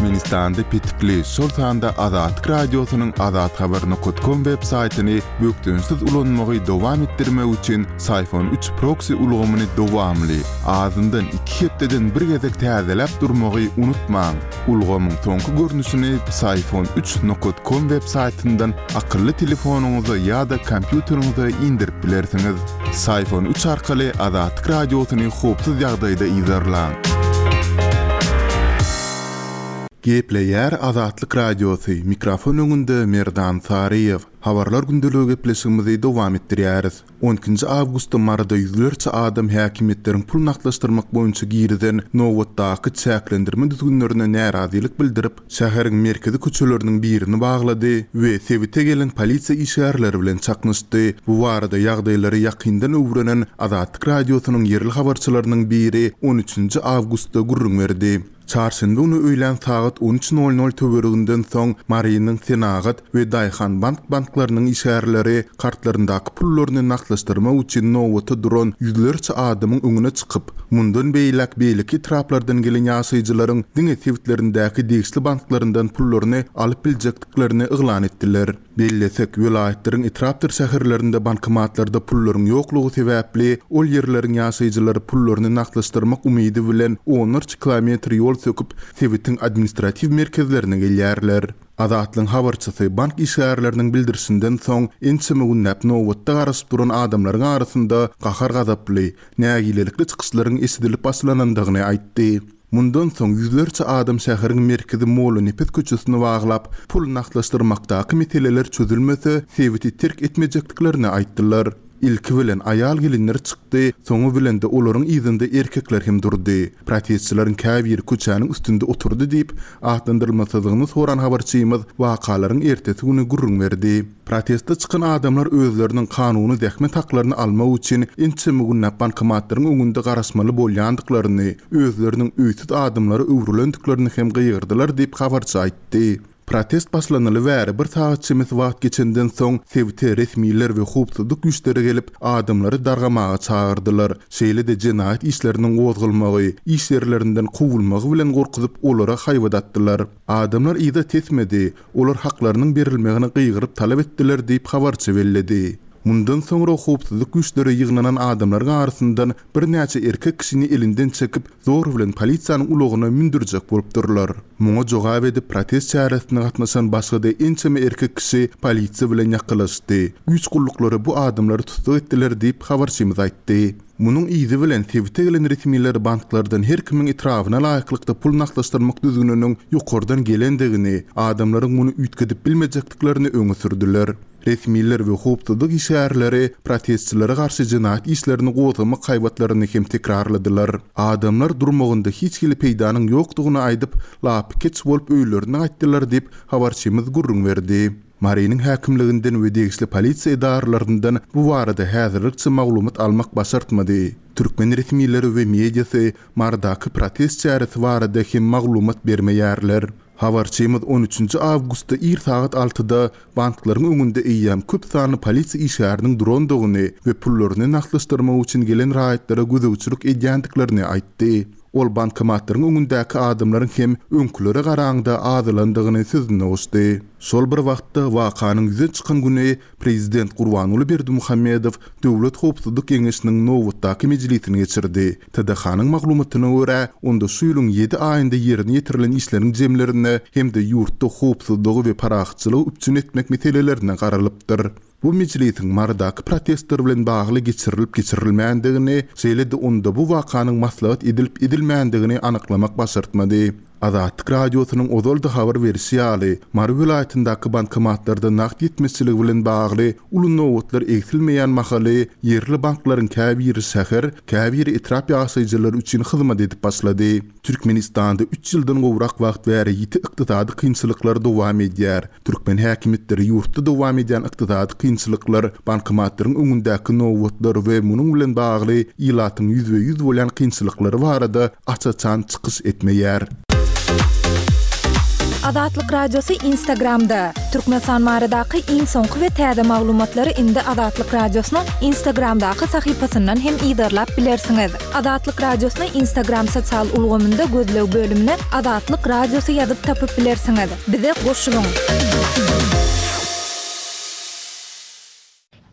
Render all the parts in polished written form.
Türkmenistanda petikli, şol sanda Azatlyk Radiosynyň azathabar nokat kom web saýtyny bökdençsiz ulanmagy dowam etdirmek üçin Syfon üç proksi ulgamyny dowamly, azyndan iki hepdeden bir gezek täzeläp durmagy unutmaň. Ulgamyň soňky görnüşini Psiphon üç nokat kom web saýtyndan akylly telefonyňyza ýa-da kompýuteriňize indirip bilersiňiz. Psiphon üç arkaly Azatlyk Radiosyny howpsuz ýagdaýda yzarlaň. Gepleýär Azatlyk Radiosy, mikrofon öňünde Merdan Saryýew. Habarlar gündeligi gepleşigimizi dowam etdirýäris. On ikinji awgustda Maryda ýüzlerçe adam häkimiýetleriň pul nagtlaşdyrmak boýunça girizen nobatdaky çäklendirme düzgünlerine närazylyk bildirip, şäheriň merkezi köçeleriniň birini baglady we sebite gelen polisiýa işgärleri bilen çaknyşdy. Bu barada ýagdaýlary ýakyndan öwrenen Azatlyk Radiosynyň ýerli habarçylarynyň biri on üçünji awgustda gürrüň berdi. Çarşenbe güni öýlän sagat on üç nol nol töwereginden soň Marynyň Senagat we Daýhanbank banklarynyň işgärleri kartlaryndaky pullaryny nagtlaşdyrmak üçin nobata duran ýüzlerçe adamyň öňüne çykyp, mundan beýläk beýleki etraplardan gelen ýaşaýjylaryň diňe sebitlerindäki degişli banklaryndan pullaryny alyp biljekdiklerini yglan etdiler. Bellesek, welaýatlaryň etrapdyr şäherlerinde bankomatlarda pullaryň ýoklugy sebäpli, ol ýerleriň ýaşaýjylary pullaryny nagtlaşdyrmak umydy bilen onlarça kilometr ýol söküp, sebitiň administratiw merkezlerine gelýärler. Azatlygyň habarçysy bank işgärleriniň bildirişinden soň, ençeme günläp nobatda garaşyp duran adamlaryň arasynda gahar-gazaply, nägilelikli çykyşlaryň eşidilip başlanandygyny aýtdy. Mundan soň ýüzlerçe adam şäheriň merkezi Mollanepes köçesini baglap, pul nagtlaşdyrmakdaky meseleler çözülmese, sebiti terk etmejekdiklerini aýtdylar. Ilki bilen aýal-gelinler çykdy, soňy bilen-de olaryň yzynda erkekler hem durdy. Protestçileriň käbiri köçäniň üstünde oturdy diýip, atlandyrylmasyzlygyny soran habarçymyz wakalaryň ertesi güni gürrüň berdi. Proteste çykan adamlar özleriniň kanuny zähmet haklaryny almak üçin ençeme günläp bankomatlaryň öňünde garaşmaly bolýandyklaryny, özleriniň öýsüz adamlara öwrülendiklerini hem gygyrdylar diýip, habarçy aýtdy. Protest başlanaly bäri bir sagat çemesi wagt geçenden soň, sebite resmiler we howpsuzlyk güýçleri gelip, adamlary dargamaga çagyrdylar, şeýle-de jenaýat işleriniň gozgalmagy, iş ýerlerinden kowulmagy bilen gorkuzyp, olara haýbat atdylar. Adamlar yza tesmedi, Olar haklarynyň berilmegini gygyryp talap etdiler diýip, habarçy belledi. Mundan soňra howpsuzlyk güýçleri ýygnanan adamlaryň arasyndan birnäçe erkek kişini elinden çekip, zor bilen polisiýanyň ulagyna mündürjek bolupdyrlar. Muňa jogap edip, protest çäresine gatnaşan başga-da ençeme erkek kişi polisiýa bilen ýakalaşdy. Güýç gulluklary bu adamlary tussag etdiler diýip, habarçymyz aýtdy. Munuň yzy bilen sebite gelen resmiler banklardan her kimiň etrabyna laýyklykda pul nagtlaşdyrmak düzgüniniň ýokardan gelendigini, adamlaryň muny üýtgedip bilmejekdiklerini öňe sürdüler. Resmiler we howpsuzlyk işgärleri protestçilere garşy jenaýat işlerini gozgamak haýbatlaryny hem tekrarladylar. Adamlar durmagynda hiç hili peýdanyň ýokdugyny aýdyp, lapykeç bolup öýlerine gaýtdylar diýip, habarçymyz gürrüň berdi. Marynyň häkimliginden we degişli polisiýa edaralaryndan bu barada häzirlikçe maglumat almak başartmady. Türkmen resmileri we mediasy Marydaky protest çäresi barada hem maglumat bermeýärler. Habarçymyz on üçünji awgustda ir sagat altyda banklaryň öňünde eýýäm köp sanly polisiýa işgäriniň durandygyny we pullaryny nagtlaşdyrmak üçin gelen raýatlara gözegçilik edýändiklerini aýtdy. Ol bankomatlaryň öňündäki adamlaryň hem öňkülere garaňda azalandygyny sözüne goşdy. Şol bir wagtda, wakanyň ýüze çykan güni prezident Gurbanguly Berdimuhamedow Döwlet howpsuzlyk geňeşiniň nobatdaky mejlisini geçirdi. TDH-nyň maglumatyna görä, onda şu ýylyň ýedi aýynda ýerine ýetirilen işleriň jemlerine hem-de ýurtda howpsuzlygy we parahatçylygy üpjün etmek meselelerine garalypdyr. Bu mejlisiň Marydaky protestler bilen bagly geçirilip-geçirilmändigini, şeýle-de onda bu wakanyň maslahat edilip-edilmändigini anyklamak başartmady. Azatlyk Radiosynyň ozal-da habar berişi ýaly, Mary welaýatyndaky bankomatlarda nagt ýetmezçiligi bilen bagly uly nobatlar egsilmeýän mahaly, ýerli banklaryň käbiri şäher, käbiri etrap ýaşaýjylary üçin hyzmat edip başlady. Türkmenistanda üç ýyldan gowrak wagt bäri ýiti ykdysady kynçylyklar dowam edýär. Türkmen häkimiýetleri ýurtda dowam edýän ykdysady kynçylyklar, bankomatlaryň öňündäki nobatlar we munuň bilen bagly ilatyň ýüzbe-ýüz bolýan kynçylyklary barada aç-açan çykyş etmeýär. Azatlyk Radiosy Instagramda! Türkmenistan baradaky iň soňky we täze maglumatlary indi Azatlyk Radiosynyň Instagramdaky sahypasyndan hem yzarlap bilersiňiz. Azatlyk Radiosyny Instagram sosial ulgamynda gözleg bölümine Azatlyk Radiosy ýazyp tapyp bilersiňiz. Bize goşulyň!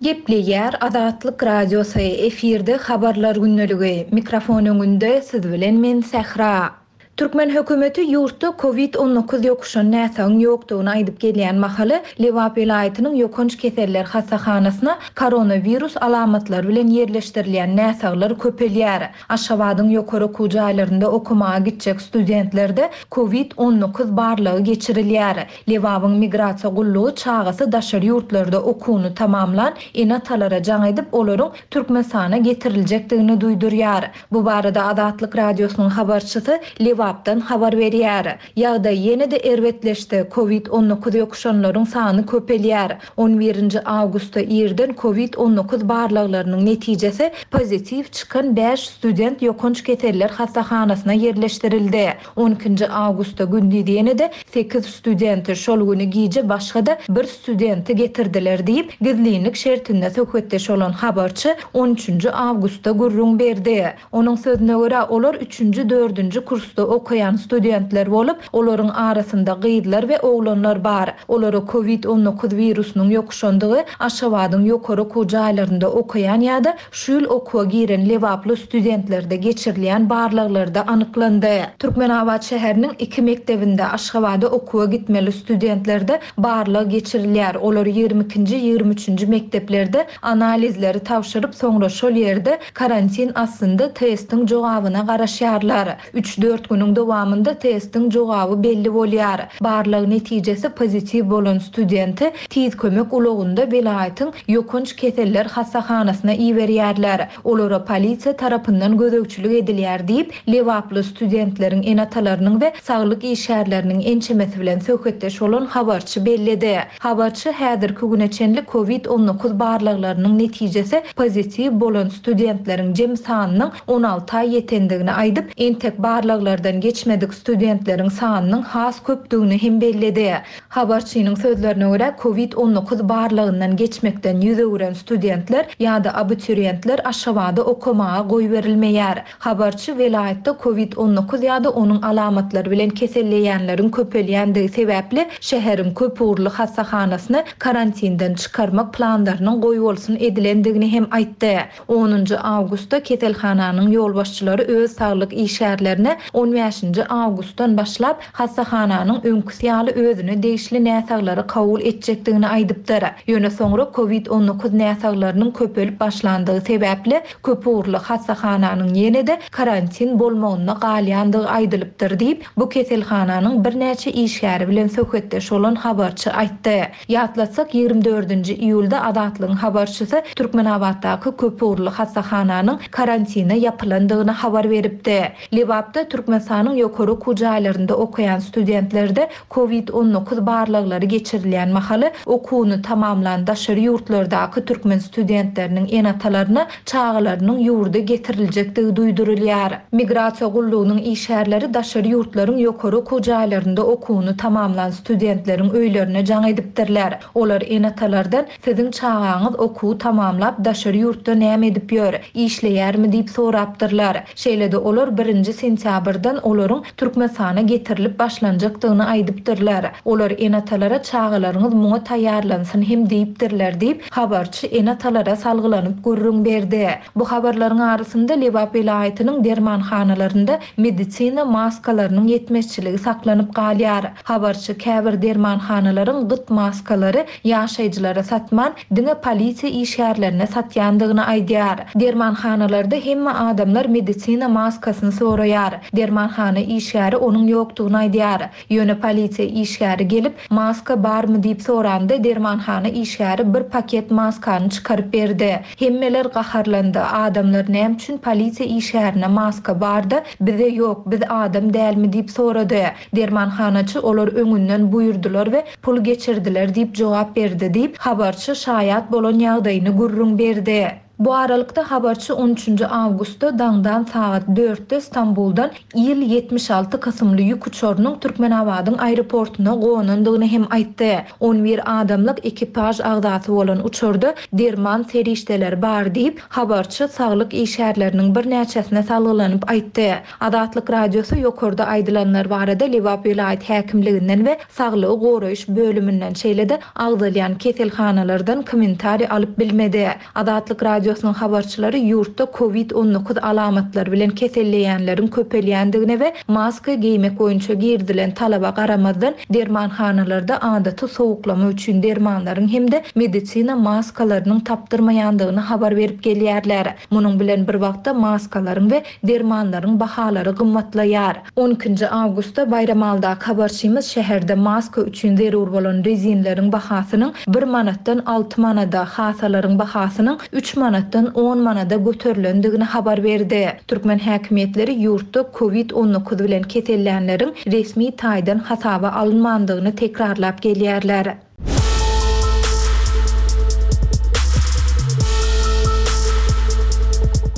Gepleýär Azatlyk Radiosy, efirde Habarlar gündeligi, mikrofon öňünde siz bilen men Sähra. Türkmen hökümeti ýurtda Covid 19 ýokuşan näsagyň ýokdugyny aýdyp gelýän mahaly, Lebap welaýatynyň ýokanç keseller hassahanasyna koronawirus alamatlary bilen ýerleşdirilýän näsaglar köpelýär. Aşgabadyň ýokary okuw jaýlarynda okamaga gitjek studentlerde Covid 19 barlagy geçirilýär. Lebabyň migrasiýa gullugy çagasy daşary ýurtlarda okuwyny tamamlan ene-atalara jaň edip, olaryň Türkmenistana getiriljekdigini duýdurýar. Bu barada Azatlyk Radiosynyň habarçysy Lebapdan habar berýär. Ýagdaý ýene-de erbetleşdi, Covid 19 ýokuşanlaryň sany köpelýär. On birinji awgustda irden Covid 19 barlaglarynyň netijesi pozitiw çykan bäş student ýokanç keseller hassahanasyna ýerleşdirildi. On ikinji awgustda gündiz ýene-de sekiz studenti, şol güni gije başga-da bir studenti getirdiler diýip, gizlinlik şertinde söhbetdeş bolan habarçy on üçünji awgustda gürrüň berdi. Onuň sözüne görä, olar üçünji, dördünji kursda okaýan studentler bolup, olaryň arasynda gyzlar we oglanlar bar. Olara covid 19 wirusynyň ýokuşandygy Aşgabadyň ýokary okuw jaýlarynda okaýan ýa-da Şu ýyl okuwa giren lebaply studentlerde geçirilýän barlaglarda anyklandy. Türkmenabat şäheriniň iki mekdebinde Aşgabada okuwa gitmeli studentlerde barlag geçirilýär. Olar ýigrimi ikinji, ýigrimi üçünji mekdeplerde analizleri tabşyryp, soňra şol ýerde karantin astynda testiň jogabyna garaşýarlar. Üç-dört günüň dowamynda testiň jogaby belli bolýar. Barlag netijesi pozitiw bolan studenti Tiz kömek ulagynda welaýatyň ýokanç keseller hassahanasyna iberýärler. Olara polisiýa tarapyndan gözegçilik edilýär diýip, lebaply studentleriň ene-atalarynyň we saglyk işgärleriniň ençemesi bilen söhbetdeş bolan habarçy belledi. Habarçy häzirki güne çenli covid 19 barlaglarynyň netijesi pozitiw bolan studentleriň jem sanynyň on alta ýetendigini aýdyp, entek barlaglardan geçmedik studentleriň sanynyň has köpdügini hem belledi. Habarçynyň sözlerine görä, covid 19 barlagyndan geçmekden ýüz öwüren studentler ýa-da abituriýentler Aşgabada okamaga goýberilmeýär. Habarçy welaýatda covid 19 ýa-da onuň alamatlary bilen keselleýänleriň köpelýändigi sebäpli şäheriň köpugurly hassahanasyny karantinden çykarmak planlarynyň goýbolsun edilendigini hem aýtdy. Onunjy awgustda keselhananyň ýolbaşçylary öz saglyk işgärlerine on bäşinji awgustdan başlap hassahananyň öňküsi ýaly özüne degişli näsaglary kabul etjekdigini aýdypdyr. Ýöne soňra covid 19 näsaglarynyň köpelip başlandygy sebäpli köpugurly hassahananyň ýene-de karantin bolmagynda galýandygy aýdylypdyr diýip, bu keselhananyň birnäçe işgäri bilen söhbetdeş bolan habarçy aýtdy. Ýatlatsak, 24-nji iýulda Azatlygyň habarçysy Türkmenabatdaky köpugurly hassahananyň karantine ýapylandygyny habar beripdi. Lebapda Türkmenistanyň ýokary okuw jaýlarynda okaýan studentlerde covid 19 barlaglary geçirilýän mahaly, okuwyny tamamlan daşary ýurtlardaky türkmen studentleriniň ene-atalaryna çagalarynyň ýurda getiriljekdigi duýdurylýar. Migrasiýa gullugynyň işgärleri daşary ýurtlaryň ýokary okuw jaýlarynda okuwyny tamamlan studentleriň öýlerine jaň edipdirler. Olar ene-atalardan Siziň çagaňyz okuwy tamamlap daşary ýurtda näme edip ýör, işleýärmi diýip sorapdyrlar. Şeýle-de olar birinji sentýabrdan olaryň Türkmenistana getirilip başlanjakdygyny aýdypdyrlar. Olar ene-atalara çagalaryňyz muňa taýýarlansyn hem diýipdirler diýip, habarçy ene-atalara salgylanyp gürrüň berdi. Bu habarlaryň arasynda Lebap welaýatynyň dermanhanalarynda medisina maskalarynyň ýetmezçiligi saklanyp galýar. Habarçy käbir dermanhanalaryň gyt maskalary ýaşaýjylara satman, diňe polisiýa işgärlerine satýandygyny aýdýar. Dermanhanalarda hemme adamlar medisina maskasyny soraýar. Dermanhana işgäri onuň ýokdugyny aýdýar. Ýöne polisiýa işgäri gelip, maska barmy diýip soranda, dermanhana işgäri bir paket maskany çykaryp berdi. Hemmeler gaharlandy, adamlar näme üçin polisiýa işgärine maska bar-da, bize ýok, biz adam dälmi diýip sorady. Dermanhanaçy olar öňünden buýurdylar we pul geçirdiler diýip jogap berdi diýip, habarçy şaýat bolan ýagdaýyny gürrüň berdi. Bu aralykda, habarçy on üçünji awgustda daňdan sagat dörtde Stambuldan Il 76 kysymly ýük uçarynyň Türkmenabadyň aeroportuna gonandygyny hem aýtdy. On bir adamlyk ekipaž agzasy bolan uçarda derman serişdeleri bar diýip, habarçy saglyk işgärleriniň birnäçesine salgylanyp aýtdy. Azatlyk Radiosy ýokarda aýdylanlar barada Lebap welaýat häkimliginden we saglygy goraýyş bölüminden, şeýle-de agzalýan keselhanalardan kommentariý alyp bilmedi. Azatlyk Radiosynyň habarçylary ýurtda Covid 19 alamatlary bilen keselleýänleriň köpelýändigine we maska geýmek boýunça girizilen talaba garamazdan, dermanhanalarda adaty sowuklama üçin dermanlaryň hem-de medisina maskalarynyň tapdyrmaýandygyny habar berip gelýärler. Munuň bilen bir wagtda maskalaryň we dermanlaryň bahalary gymmatlaýar. On ikinji awgustda Baýramalydaky habarçymyz şäherde maska üçin zerur bolan rezinleriň bahasynyň bir manatdan alty manada, hasalaryň bahasynyň üç manatdan on manada göterilendigini habar berdi. Türkmen häkimiýetleri ýurtda Covid 19 bilen kesellänleriň resmi taýdan hasaba alynmandygyny tekrarlap gelýärler.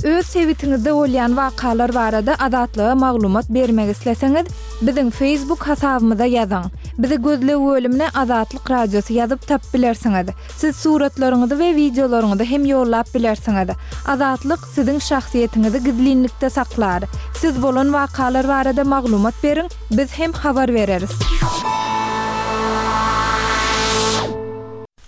Öz sebitiňizde bolýan wakalar barada Azatlyga maglumat bermek isleseňiz, biziň Facebook hasabymyza ýazyň. Bizi gözleg bölümine Azatlyk Radiosy ýazyp tapyp bilersiňiz. Siz suratlaryňyzy we wideolaryňyzy hem ýollap bilersiňiz. Azatlyk siziň şahsyýetiňizi gizlinlikde saklar. Siz bolan wakalar barada maglumat beriň, biz hem habar bereris.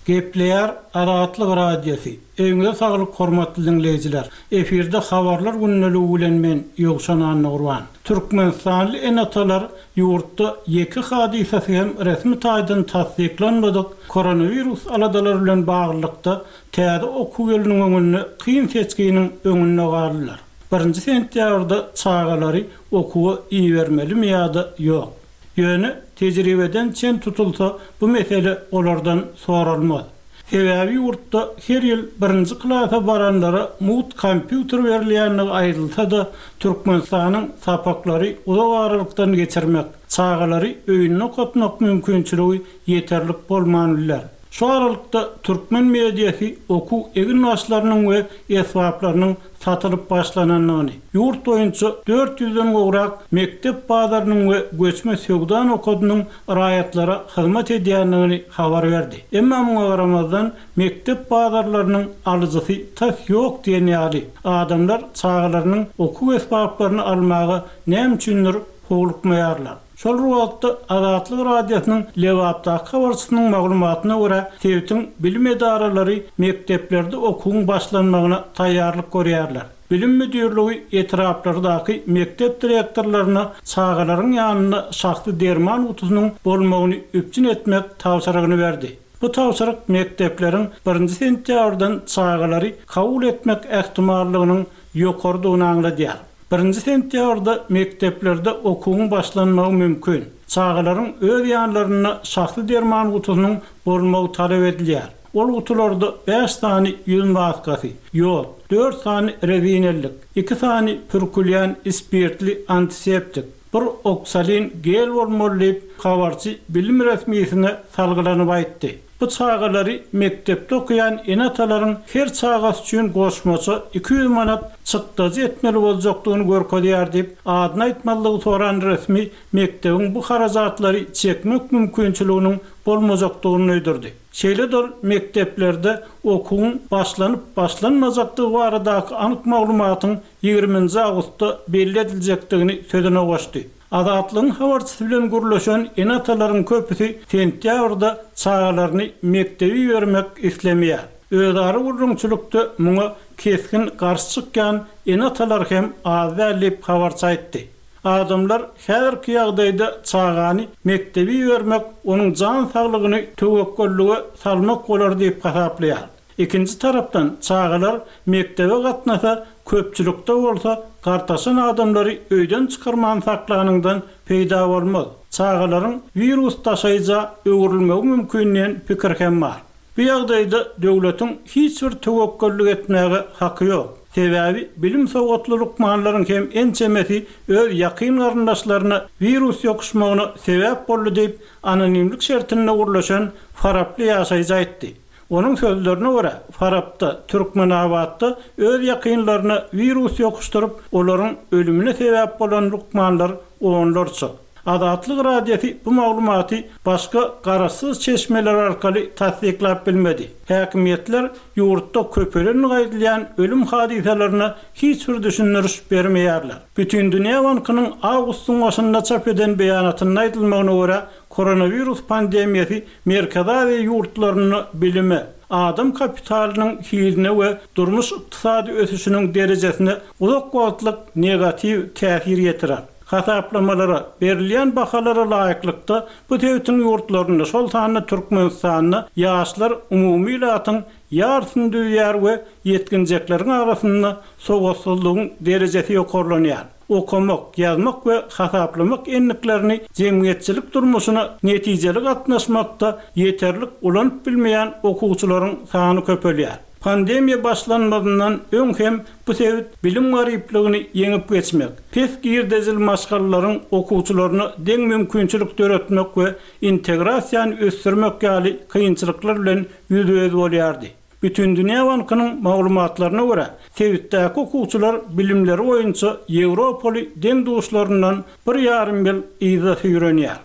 Gepleýär Azatlyk Radiosy, Öýüňize saglyk hormatly diňleýjiler! Efirde Habarlar gündeligi bilen men Ýowşan Annagurban. Türkmenistanly ene-atalar ýurtda ýeke hadysasy hem resmi taýdan tassyklanmadyk koronawirus aladalary bilen baglylykda täze okuw ýylynyň öňünde kyn seçginiň öňünde galdylar. Birinji sentýabrda çagalary okuwa ibermelimi ýa-da ýok? Ýöne tejribeden çen tutulsa, bu mesele olardan soralmaz. Sebäbi ýurtda her ýyl birinji klasa baranlara mugt kompýuter berilýändigi aýdylsa-da, Türkmenistanyň sapaklary uzak aralykdan geçirmek, çagalary öýünde okatmak mümkinçiligi ýeterlik bolman biler. Şu aralykda türkmen mediasy okuw eginbaşlarynyň we esbaplarynyň satylyp başlanandygyny, ýurt boýunça dört ýüzden gowrak mekdep bazarynyň we göçme söwda nokadynyň raýatlara hyzmat edýändigini habar berdi. Emma muňa garamazdan, mekdep bazarlarynyň alyjysy tas ýok diýen ýaly. Adamlar çagalarynyň okuw esbaplaryny almaga näme üçindir howlukmaýarlar. Şol bir wagtda, Azatlyk Radiosynyň Lebapdaky habarçysynyň maglumatyna görä, sebitiň bilim edaralary mekdeplerde okuwyň başlanmagyna taýýarlyk görýärler. Bilim müdirligi etraplardaky mekdep direktorlaryna çagalaryň ýanynda şahsy derman gutusynyň bolmagyny üpjün etmek tabşyrygyny berdi. Bu tabşyryk mekdepleriň birinji sentýabrdan çagalary kabul etmek ähtimallygynyň ýokarydygyny aňladýar. Birinji sentýabrda mekdeplerde okuwyň başlanmagy mümkin. Çagalaryň öz ýanlarynda şahsy derman gutusynyň bolmagy talap edilýär. Ol gutularda bäş sany ýüz maskasy, ýod, dört sany rezin ellik, iki sany pürkülýän spirtli antiseptik, bir oksalin gel bolmaly diýip, habarçy bilim resmisine salgylanyp aýtdy. Bu çagalary mekdepde okaýan ene-atalaryň her çagasy üçin goşmaça 200 manat çykdajy etmeli boljakdygyny görkezýär diýip, adyny aýtmazlygy soran resmi mekdebiň bu harajatlary çekmek mümkinçiliginiň bolmajakdygyny duýdurdy. Şeýle-de ol mekdeplerde okuwyň başlanyp-başlanmajakdygy baradaky anyk maglumatyň ýigriminji awgustda belli ediljekdigini sözüne goşdy. Azatlygyň habarçysy bilen gürleşen ene-atalaryň köpüsi sentýabrda çagalaryny mekdebe ibermek islemeýär. Özara gürrüňçilikde muňa kesgin garşy çykýan ene-atalar hem az däl diýip, habarçy aýtdy. Adamlar häzirki ýagdaýda çagany mekdebe ibermek onuň jan saglygyny töwekgellige salmak bolar diýip hasaplaýar. Ikinji tarapdan, çagalar mekdebe gatnasa, köpçülikde bolsa, gartaşan adamlary öýden çykarman saklanyňdan peýda bolmaz. Çagalaryň wirus daşaýja öwrülmegi mümkin diýen pikir hem bar. Bu ýagdaýda döwletiň hiç bir töwekgellik etmäge haky ýok. Sebäbi bilim-sowatly lukmanlaryň hem ençemesi öz ýakyn garyndaşlaryna wirus ýokuşmagyna sebäp boldy diýip, anonimlik şertinde gürleşen faraply ýaşaýjy aýtdy. Onuň sözlerine görä, Farapda, Türkmenabatda öz ýakynlaryna wirus ýokuşdyryp, olaryň ölümine sebäp bolan lukmanlar onlarça. Azatlyk Radiosy bu maglumaty başga garaşsyz çeşmeler arkaly tassyklap bilmedi. Häkimiýetler ýurtda köpelendigi aýdylýan ölüm hadysalaryna hiç bir düşündiriş bermeýärler. Bütindünýä bankynyň awgustyň başynda çap eden beýanatynda aýdylmagyna görä, koronawirus pandemiýasy Merkezi Aziýa ýurtlarynda bilime, adam kapitalynyň hiline we durmuş-ykdysady ösüşiniň derejesine uzak wagtlyk negatiw täsir ýetirer. Hasaplamalara, berilýän bahalara laýyklykda, bu sebitiň ýurtlarynda, şol sanda Türkmenistanda ýaşlar umumy ilatyň ýarysyny düzýär we ýetginjekleriň arasynda sowatsyzlygyň derejesi ýokarlanýar. Okamak, ýazmak we hasaplamak endiklerini jemgyýetçilik durmuşyna netijeli gatnaşmakda ýeterlik ulanyp bilmeýän okuwçylaryň sany köpelýär. Pandemiýa başlanmazyndan öň hem bu sebit bilim garyplygyny ýeňip geçmek, pes girdejili maşgalalaryň okuwçylaryna deň mümkinçilik döretmek we integrasiýany ösdürmek ýaly kynçylyklar bilen ýüzbe-ýüz bolýardy. Bütindünýä bankynyň maglumatlaryna görä, sebitdäki okuwçylar bilimleri boýunça ýewropaly deň-duşlaryndan bir ýarym ýyl yza süýrenýär.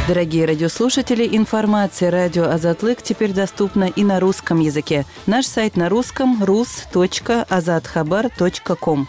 Дорогие радиослушатели, информация радио Азатлык теперь доступна и на русском языке. Наш сайт на русском rus.azathabar.com.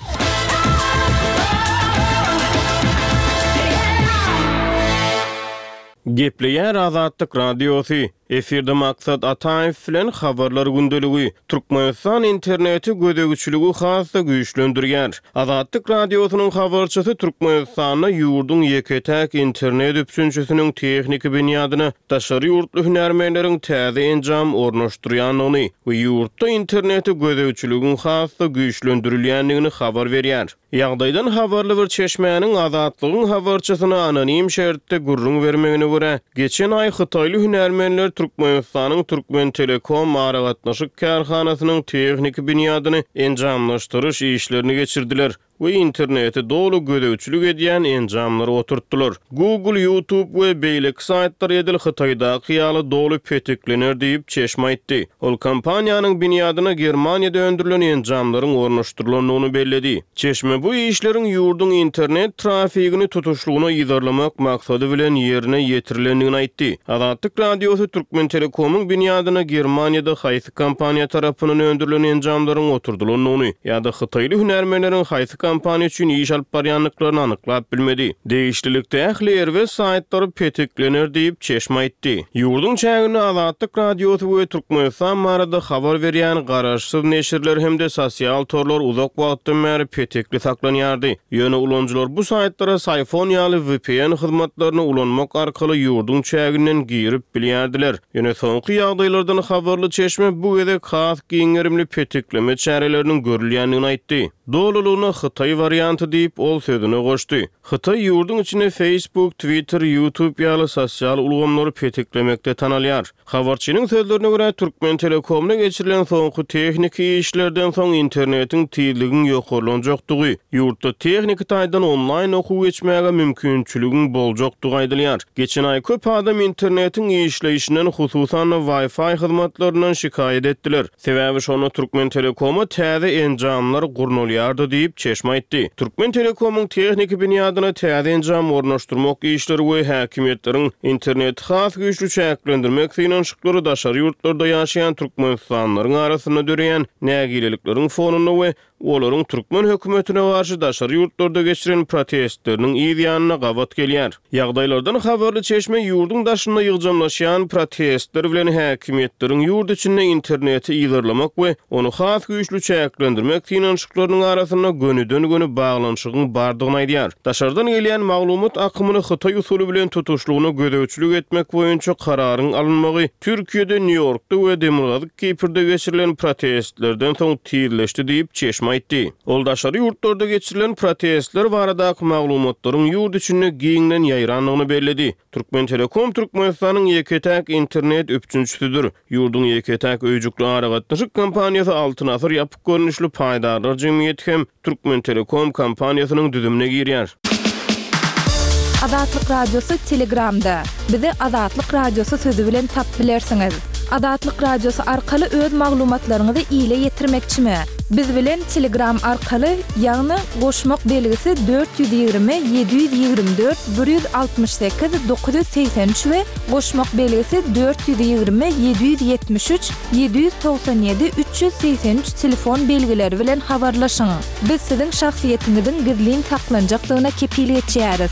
Gepleýär Azatlyk Radiosy, Efirde Maksat Ataýew bilen Habarlar gündeligi. Türkmenistan internete gözegçiligi has-da güýçlendirýär. Azatlyk Radiosynyň habarçysy Türkmenistanda ýurduň ýeke-täk internet üpjünçisiniň tehniki binýadyna daşary ýurtly hünärmenleriň täze enjam ornaşdyrýandygyny we ýurtda internete gözegçiligiň has-da güýçlendirilýändigini habar berýär. Ýagdaýdan habarly bir çeşmäniň Azatlygyň habarçysyna anonim şertde gürrüň bermegine görä, geçen aý hytaýly hünärmenler Türkmenistanyň Türkmentelekom aragatnaşyk kärhanasynyň tehniki binýadyny enjamlaşdyryş işlerini geçirdiler we internete doly gözegçilik edýän enjamlary oturtdylar. Google, YouTube we beýleki saýtlar edil Hytaýdaky ýaly doly petiklener diýip, çeşme aýtdy. Ol kompaniýanyň binýadyna Germaniýada öndürilen enjamlaryň ornaşdyrylandygyny belledi. Çeşme bu işleriň ýurduň internet trafigini tutuşlygyna yzarlamak maksady bilen ýerine ýetirilendigini aýtdy. Azatlyk Radiosy Türkmentelekomyň binýadyna Germaniýada haýsy kompaniýa tarapyndan öndürilen enjamlaryň oturdylandygyny ýa-da hytaýly hünärmenleriň haýsy kompaniýa üçin iş alyp barýandyklaryny anyklap bilmedi. Degişlilikde ähli erbet saýtlar petiklener diýip, çeşme aýtdy. Ýurduň çäginde Azatlyk Radiosy we Türkmenistan barada habar berýän garaşsyz neşirler hem-de sosial torlar uzak wagtdan bäri petekli saklanýardy. Ýöne ulanyjylar bu saýtlara Syfon ýaly vpn hyzmatlaryny ulanmak arkaly ýurduň çäginden girip bilýärdiler. Ýöne soňky ýagdaýlardan habarly çeşme bu gezek has giň gerimli petikleme çäreleriniň görülýändigini aýtdy. Dolulygyna hytaý warianty diýip, ol sözüne goşdy. Hytaý ýurduň içinde Facebook, Twitter, YouTube ýaly sosial ulgamlary petiklemekde tanalýar. Habarçynyň sözlerine görä, Türkmentelekomda geçirilen soňky tehniki işlerden soň internetiň tizligiň ýokarlanjakdygy, ýurtda tehniki taýdan onlaýn okuw geçmäge mümkinçiligiň boljakdygy aýdylýar. Geçen aý köp adam internetiň işleýşinden, hususan-da Wi-Fi hyzmatlaryndan şikaýat etdiler. Sebäbi şonda Türkmentelekoma täze enjamlar gurnalýardy diýip, çeşme aýtdy. Türkmentelekomyň tehniki binýadyna täze enjam ornaşdyrmak işleri we häkimiýetleriň interneti has güýçli çäklendirmek synanyşyklary daşary ýurtlarda ýaşaýan türkmenistanlylaryň arasynda döreýän nägilelikleriň fonunda we olaryň türkmen hökümetine garşy daşary ýurtlarda geçiren protestleriniň yz ýanyna gabat gelýär. Ýagdaýlardan habarly çeşme ýurduň daşynda ýygjamlaşýan protestler bilen häkimiýetleriň ýurt içinde interneti yzarlamak we ony has güýçli çäklendirmek synanyşyklarynyň arasynda gönüden-göni baglanyşygyň bardygyny aýdýar. Daşardan gelýän maglumat akymyny hytaý usuly bilen tutuşlygyna gözegçilik etmek boýunça kararyň alynmagy Türkiýede, Nýu-Ýorkda we Demirgazyk Kiprde geçirilen protestlerden soň tizleşdi diýip, çeşme aýtdy. Ol daşary ýurtlarda geçirilen protestler baradaky maglumatlaryň ýurt içinde giňden ýaýrandygyny belledi. Türkmentelekom Türkmenistanyň ýeke-täk internet üpjünçisidir. Ýurduň ýeke-täk öýjükli aragatnaşyk kompaniýasy Altyn Asyr ýapyk görnüşli paýdarlar jemgyýeti hem Türkmentelekom kompaniýasynyň düzümine girýär. Azatlyk Radiosy Telegramda. Bizi Azatlyk Radiosy sözi bilen tap bilersiňiz. Azatlyk Radiosy arkaly öz maglumatlaryňyzy ile ýetirmekçimi? Biz bilen Telegram arkaly, ýagny goşmak belgisi 420 724 168 983 we goşmak belgisi 420 773 797 383 telefon belgileri bilen habarlaşyň. Biz siziň şahsyýetiňiziň gizlin saklanjakdygyna kepil geçýäris.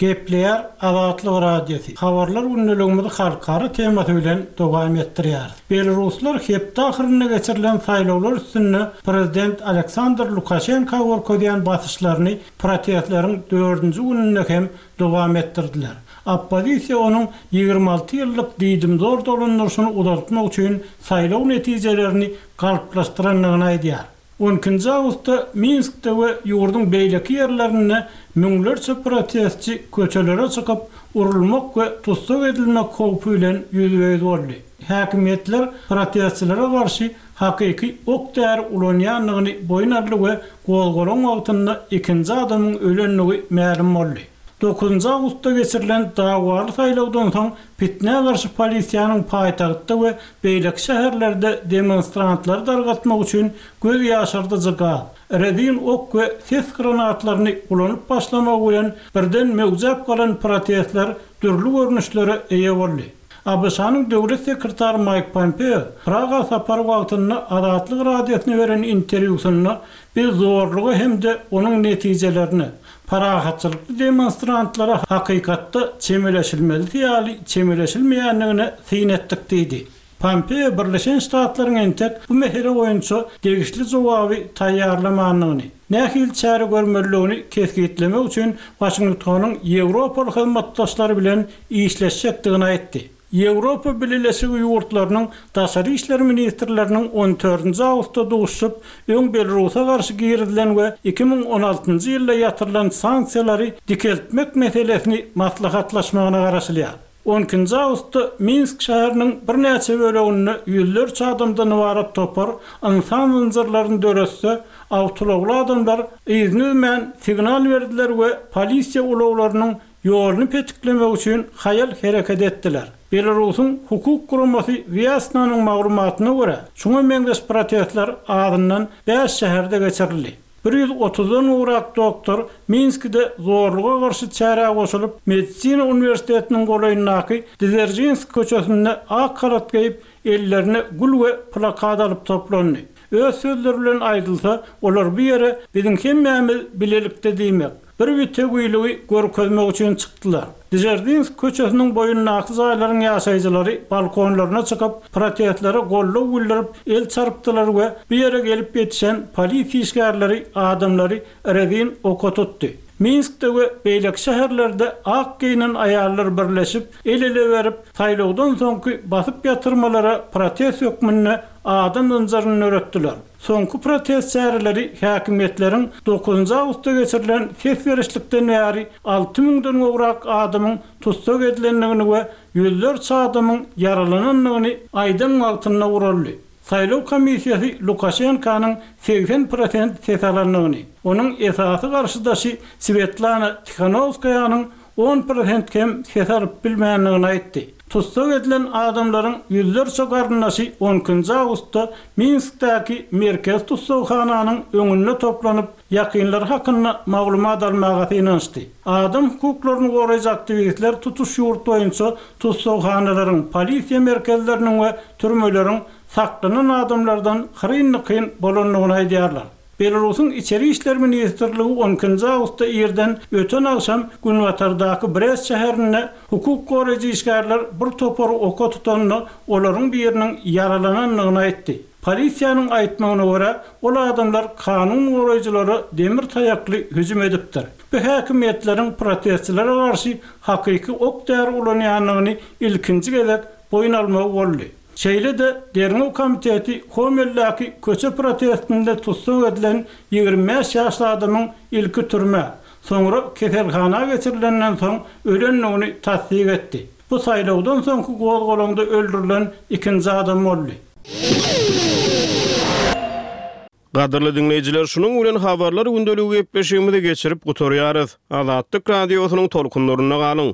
Gepleýär Azatlyk Radiosy, Habarlar gündeligimizi halkara temasy bilen dowam etdirýäris. Belaruslar hepde ahyrynda geçirilen saýlawlar üstünde prezident Aleksandr Lukaşenka görkezýän basyşlaryny protestleriň dördünji gününde hem dowam etdirdiler. Oppozisiýa onuň 26 ýyllyk diýdimzor dolandyryşyny uzaltmak üçin saýlaw netijelerini galplaşdyrandygyny aýdýar. On ikinji awgustda Minskde we ýurduň beýleki ýerlerinde müňlerçe protestçi köçelere çykyp, urulmak we tussag edilmek howpy bilen ýüzbe-ýüz boldy. Häkimiýetler protestçilere garşy hakyky ok-däri ulanýandygyny boýun aldy we gozgalaň wagtynda ikinji adamyň ölendigi mälim boldy. Dokuzynjy awgustda geçirilen dawaly saýlawdan soň pitnä garşy polisiýanyň paýtagtda we beýleki şäherlerde demonstrantlary dargatmak üçin göz ýaşardyjy gaz, rezin ok we ses granatlaryny ulanyp başlamagy bilen birden möwjäp galan protestler dürli görnüşlere eýe boldy. ABŞ-nyň Döwlet sekretary Maýk Pompeo Praga sapary wagtynda Azatlyk Radiosyna beren interwýusynda Biz zorluga hem-de onuň netijelerine, parahatçylykly demonstrantlara hakykatda çemeleşilmelisi ýaly çemeleşilmeýändigine syn etdik diýdi. Pompeo Birleşen Ştatlaryň entek bu mesele boýunça degişli jogaby taýýarlamandygyny, nähili çäre görmelidigini kesgitlemek üçin Waşingtonyň ýewropaly hyzmatdaşlary bilen işleşjekdigini aýtdy. Ýewropa Bileleşigi ýurtlarynyň daşary işler ministrleriniň on dördünji awgustda duşuşyp, öň Belarusa garşy girizilen we 2016-njy ýylda ýatyrylan sanksiýalary dikeltmek meselesini maslahatlaşmagyna garaşylýar. On ikinji awgustda Minsk şäheriniň birnäçe böleginde ýüzlerçe adamdan ybarat topar ynsan zynjyrlaryny döretse, awtoulagly adamlar yzyny üzmän signal berdiler we polisiýa ulaglarynyň ýoluny petiklemek üçin haýal hereket etdiler. Belarusyň hukuk guramasy Wýasnanyň maglumatyna görä, şuňa meňzeş protestler azyndan bäş şäherde geçirildi. Bir ýüz otuzdan gowrak doktor Minskide zorluga garşy çärä goşulyp, Medisina uniwersitetiniň golaýyndaky Dzeržinsk köçesinde ak halat geýip, ellerine gül we plakat alyp toplandy. Öz sözleri bilen aýdylsa, olar bu ýere biziň hemmämiz bilelikde diýmek, bir bitewiligi görkezmek üçin çykdylar. Dzeržinsk köçesiniň boýundaky jaýlaryň ýaşaýjylary balkonlaryna çykyp, protestlere goldaw bildirip, el çarpdylar we bu ýere gelip ýetişen polisiýa işgärleri adamlary rezin oka tutdy. Minskde we beýleki şäherlerde ak geýnen aýallar birleşip, el-ele berip, saýlawdan soňky basyp ýatyrmalara protest hökmünde adam zynjyryny döretdiler. Soňky protest çäreleri häkimiýetleriň dokuzynjy awgustda geçirilen ses berişlikden bäri alty müňden gowrak adamyň tussag edilendigini we ýüzlerçe adamyň ýaralanandygyny aýdan wagtynda guraldy. Saýlaw komissiýasy Lukaşenkanyň 80 prosent ses alandygyny, onuň esasy garşydaşy Swetlana Tihanowskaýanyň on prosent kem ses alyp bilmändigini aýtdy. Tussag edilen adamlaryň ýüzlerçe garyndaşy on ikinji awgustda Minskdäki merkezi tussaghananyň öňünde toplanyp, ýakynlary hakynda maglumat almaga synanyşdy. Adam hukuklaryny goraýjy aktiwistler tutuş ýurt boýunça tussaghanalaryň, polisiýa merkezleriniň we türmeleriň saklanan adamlardan hyryn-dykyn bolandygyny aýdýarlar. Belarusyň Içeri işler ministrligi on ikinji awgustda irden öten agşam günbatardaky Brest şäherinde hukuk goraýjy işgärler bir topary oka tutanda, olaryň biriniň ýaralanandygyny aýtdy. Polisiýanyň aýtmagyna görä, ol adamlar kanun goraýjylara demir taýakly hüjüm edipdir. Bu häkimiýetleriň protestçilere garşy hakyky ok-däri ulanýandygyny ilkinji gezek boýun almagy boldy. Şeýle-de, Derňew komiteti Homeldäki köçe protestinde tussag edilen 25 ýaşly adamyň ilki türmä, soňra keselhana geçirilenden soň ölendigini tassyk etdi. Bu saýlawdan soňky gozgalaňda öldürilen ikinji adam boldy. Gadyrly diňleýjiler, şunuň bilen Habarlar gündeligi gepleşigimizi geçirip gutarýarys. Azatlyk Radiosynyň tolkunlarynda galyň!